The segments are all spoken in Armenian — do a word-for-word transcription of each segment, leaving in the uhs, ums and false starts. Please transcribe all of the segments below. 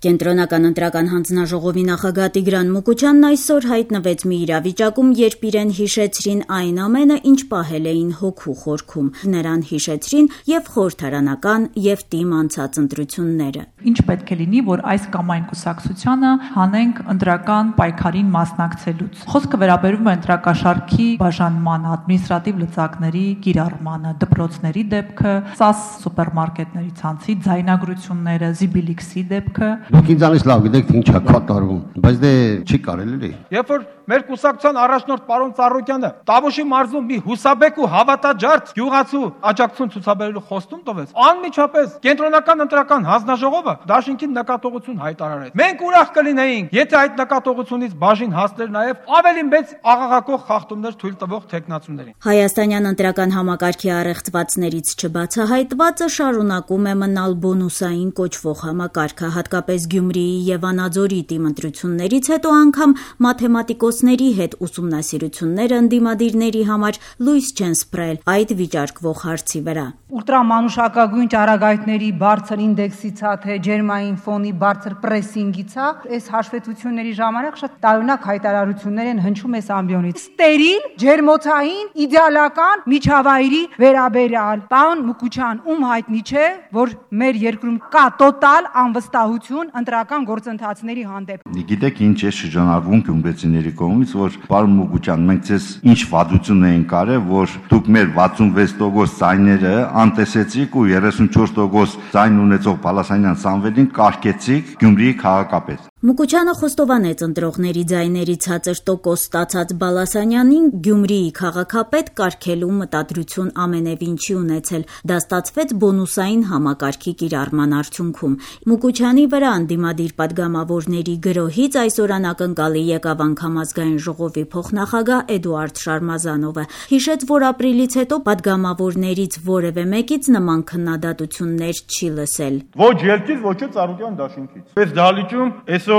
Կենտրոնական ընտրական հանձնաժողովի նախագահ Տիգրան Մուկուչյանն այսօր հայտնվեց մի իրավիճակում, երբ իրեն հիշեցրին այն ամենը, ինչ պահել էին հոգու խորքում. նրան հիշեցրին եւ խորհրդարանական եւ թիմ անցած ընտրությունները. Ինչ պետք է լինի, որ այս կամ այն կուսակցությանը հանենք ընտրական պայքարին մասնակցելուց. Խոսքը վերաբերում է ընտրակաշառքի բաժանմանը, ադմինիստրատիվ լծակների կիրառմանը, դպրոցների դեպքը, սաս սուպերմարկետների ցանցի ձայնագրությունները, Զիբիլիքսի դեպքը. Դուք ինձանից լավ գիտեք, թե ինչ է կատարվում, բայց դե չի կարելի լի։ Երբ որ մեր կուսակցության առաջնորդ պարոն Ծառուկյանը Տավուշի մարզում մի հուսաբեկ ու հավատաջարդ գյուղացու աջակցություն ցուցաբերելու խոստում տվեց, անմիջապես կենտրոնական ընտրական հանձնաժողովը դաշինքին նկատողություն հայտարարեց։ Մենք ուրախ կլինեինք, եթե այդ նկատողությունից բաժին հասներ նաև ավելի մեծ աղաղակող խախտումներ թույլ տվող տեխնացուներին։ Հայաստանյան ընտրական համակարգի առեղծվածներից չբացահայտվածը շարունակում է մնալ բոնուսային կոչվող համակարգը, հատկապես Գյումրիի եւ Վանաձորի թիմ ընտրություններից հետո անգամ մաթեմատիկոսների հետ ուսումնասիրությունները ընդդիմադիրների համար լույս չեն սփռել այդ վիճարկվող հարցի վրա։ Ուլտրամանուշակագույն ճառագայթների բարձր ինդեքսից է, թե ջերմային ֆոնի բարձր պրեսինգից է, այս հաշվետվությունների ժամանակ շատ տարօրինակ հայտարարություններ են հնչում այս ամբիոնից։ Ստերիլ, ջերմոցային, իդեալական միջավայրի վերաբերյալ։ Պարոն Մուկուչյան, ում հայտնի չէ, որ մեր երկրում կա տոտալ անվստահություն ընտրական գործընթացների հանդեպ։ Գիտեք ինչ է շրջանառվում գյումրեցիների կողմից, որ պարոն Մուկուչյան, մենք ցես ինչ վատություն էին կարել, որ դուք մեր վաթսունվեց տոկոս ձայները անտեսեցիք ու երեսունչորս տոկոս ձայն ունեցող Բալասանյան Սամվելին կարգեցիք Գյումրիի քաղաքապետ։ Մուկուչյանը խոստովանեց ընտրողների ձայների ցածր տոկոս ստացած Բալասանյանին Գյումրիի քաղաքապետ կարգելու մտադրություն ամենևին չի ունեցել, դա ստացվեց բոնուսային համակարգի կիրառման արդյունքում։ Մուկուչյանի վրա ընդդիմադիր պատգամավորների գրոհից այսօր անակնկալի եկավ անգամ ազգային ժողովի փոխնախագահ Էդուարդ Շարմազանովը, հիշեց, որ ապրիլից հետո պատգամավորներից որևէ մեկից նման քննադատություններ չի լսել։ Ոչ ելքից, ոչ էլ Ծառուկյան դաշինքից։ Այս դահլիճում այսօր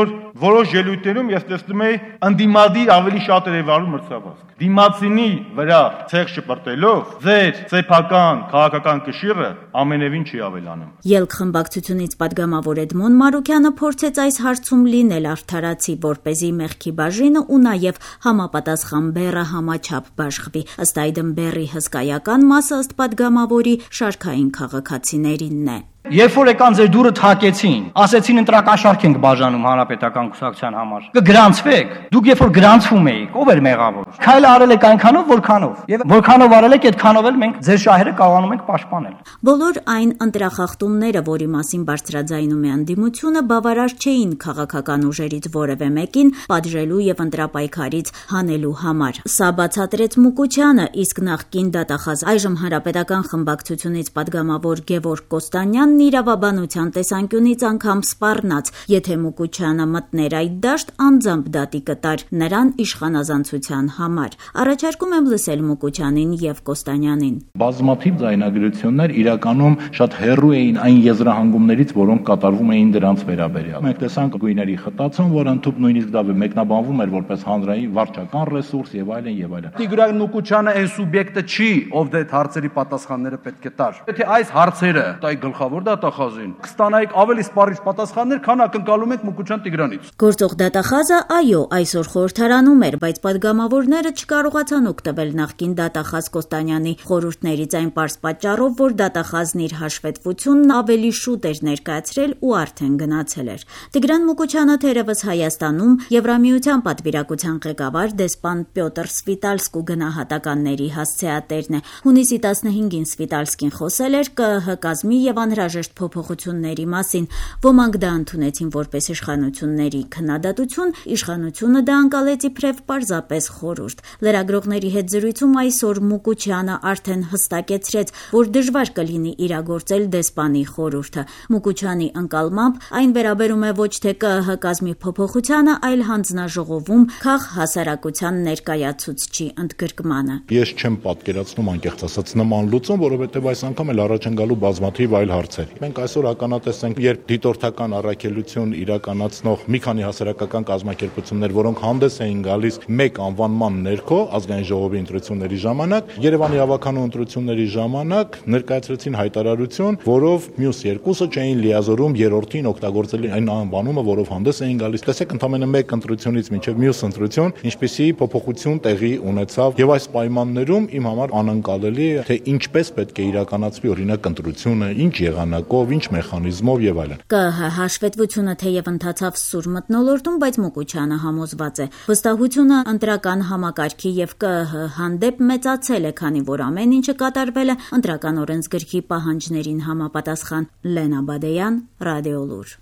որոշ ելույթներում ես տեսնում եի ընդդիմադիր ավելի շատ էր վարում մրցավազք։ Դիմացինի վրա ցեղ շպրտելով ձեր սեփական քաղաքական կշիռը ամենևին չի ավելանում։ Ելք խմբակցությունից պատգամավոր Էդմոն Մարուկյանը փորձեց այս հարցում լինել արդարացի, որպեսզի մեղքի բաժինը ու նաև համապատասխան բեռը համաչափ բաշխվի։ Ըստ այդմ բեռի հսկայական մասը ըստ պատգամավորի շարքային քաղաքացիներինն է։ Երբ որ եկան ձեր դուրը թակեցին, ասեցին ընտրակաշառք ենք բաժանում հանրապետական կուսակցության համար։ Կգրանցվեք։ Դուք երբ որ գրանցվում էիք, ով էր մեղավոր։ Քայլը արել եք այնքանով, որքանով։ Եվ որքանով արել եք, այդքանով էլ մենք ձեր շահերը կարողանում ենք պաշտպանել։ Բոլոր այն ընտրախախտումները, որի մասին բարձրաձայնում է ընդդիմությունը, բավարար չէին քաղաքական ուժերից որևէ մեկին պատժելու եւ ընտրապայքարից հանելու համար։ Սա բացատրեց Մուկուչյանը, իսկ նախկին դատախազ այժմ հանրապետական խմբակցությունից պատգամավոր Գևորգ Կոստանյանն իրավաբանության տեսանկյունից անգամ սպառնաց, եթե Մուկուչյանը մտներ այդ դաշտ, անձամբ դատի կտար նրան իշխանազանցության համար։ Առաջարկում եմ լսել Մուկուչյանին եւ Կոստանյանին։ Բազմաթիվ ձայնագրություններ իրականում շատ հեռու էին այն եզրահանգումներից, որոնք կատարվում էին դրանց վերաբերյալ։ Մենք տեսանք գույների խտացում, որ ընդհանուր նույնիսկ դա մեկնաբանվում էր որպես հանրային վարչական ռեսուրս եւ այլն եւ այլն։ Տիգրան Մուկուչյանը այն սուբյեկտը չի, ով դե հարցերի պատասխանները պետք է տար։ Եթե այս հարցերը տայ գլխավոր դատախազին կստանայիք ավելի սպառիչ պատասխաններ, քան ակնկալում ենք Մուկուչյան Տիգրանից։ Գործող դատախազը, այո, այսօր խորհրդարանում էր, բայց պատգամավորները չկարողացան օգտվել նախկին դատախազ Կոստանյանի խորհուրդներից այն պարզ պատճառով, որ դատախազն իր հաշվետվությունն ավելի շուտ էր ներկայացրել ու արդեն գնացել էր։ Տիգրան Մուկուչյանը թերևս Հայաստանում Եվրամիության պատվիրակության ղեկավար դեսպան Պյոտր Սվիտալսկու գնահատականների հասցեատերն է։ Հունիսի տասնհինգին Սվիտալսկին խոսել էր ԿԸՀ կազմի եւ անհրաժեշտ փոփոխությունների մասին։ Ոմանք դա ընդունեցին որպես իշխանությունների քննադատություն, իշխանությունը դա անցալեց իբրև պարզապես խորհուրդ։ Լրագրողների հետ զրույցում այսօր Մուկուչյանը արդեն հստակեցրեց, որ դժվար կլինի իրագործել դեսպանի խորհուրդը։ Մուկուչյանի ընկալմամբ այն վերաբերում է ոչ թե ԿԸՀ կազմի փոփոխությանը, այլ հանձնաժողովում քաղհասարակության ներկայացուցչի ընդգրկմանը։ Ես չեմ պատկերացնում անկեղծ ասած նման լուծում, որովհետև այս անգամ էլ առաջ են գալու բազմաթիվ այլ հարցեր, հարցեր։ Մենք այսօր ականատես ենք, երբ դիտորդական առաքելություն իրականացնող մի քանի հասարակական կազմակերպություններ, որոնք հանդես էին գալիս մեկ անվանման ներքո ազգային ժողովի ընտրությունների ժամանակ, Երևանի ավականու ընտրությունների ժամանակ ներկայացրեցին հայտարարություն, որով մյուս երկուսը չէին լիազորում երրորդին օգտագործել այն անվանումը, որով հանդես էին գալիս։ Տեսեք, ընդամենը մեկ ընտրությունից մինչև մյուս ընտրություն, ինչպիսի փոփոխություն տեղի ունեցավ, եւ այս պայմաններում իմ համար անընկալելի է, թե ինչպես պետք է իրականացվի օրինակ ընտրությունը, ինչ եղանակով, ինչ մեխանիզմով եւ այլն։ ԿԸՀ հաշվետվությունը թեև ընթացավ սուր մթնոլորտում, բայց Մուկուչյանը համոզված է, վստահությունը ընտրական համակարգի եւ ԿԸՀ հանդեպ մեծացել է, քանի որ ամեն ինչը կատարվել է ընտրական օրենսգրքի պահանջներին համապատասխան։ Լենա Բադեյան, Ռադիոլուր։